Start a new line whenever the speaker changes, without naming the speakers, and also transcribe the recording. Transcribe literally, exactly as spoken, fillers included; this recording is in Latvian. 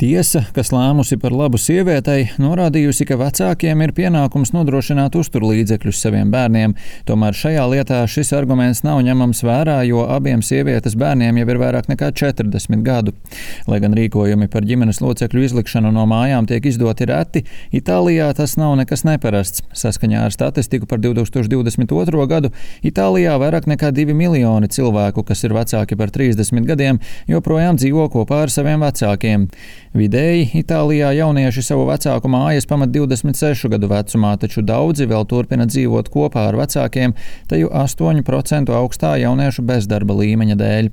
Tiesa, kas lēmusi par labu sievietei, norādījusi, ka vecākiem ir pienākums nodrošināt uzturlīdzekļus saviem bērniem. Tomēr šajā lietā šis arguments nav ņemams vērā, jo abiem sievietes bērniem jau ir vairāk nekā četrdesmit gadu. Lai gan rīkojumi par ģimenes locekļu izlikšanu no mājām tiek izdoti reti, Itālijā tas nav nekas neparasts. Saskaņā ar statistiku par divi tūkstoši divdesmit otro gadu Itālijā vairāk nekā divi miljoni cilvēku, kas ir vecāki par trīsdesmit gadiem, joprojām dzīvo kopā ar saviem vecākiem. Vidēji Itālijā jaunieši savu vecāku mājas pamet divdesmit sešu gadu vecumā, taču daudzi vēl turpina dzīvot kopā ar vecākiem, teju astoņu procentu augstā jauniešu bezdarba līmeņa dēļ.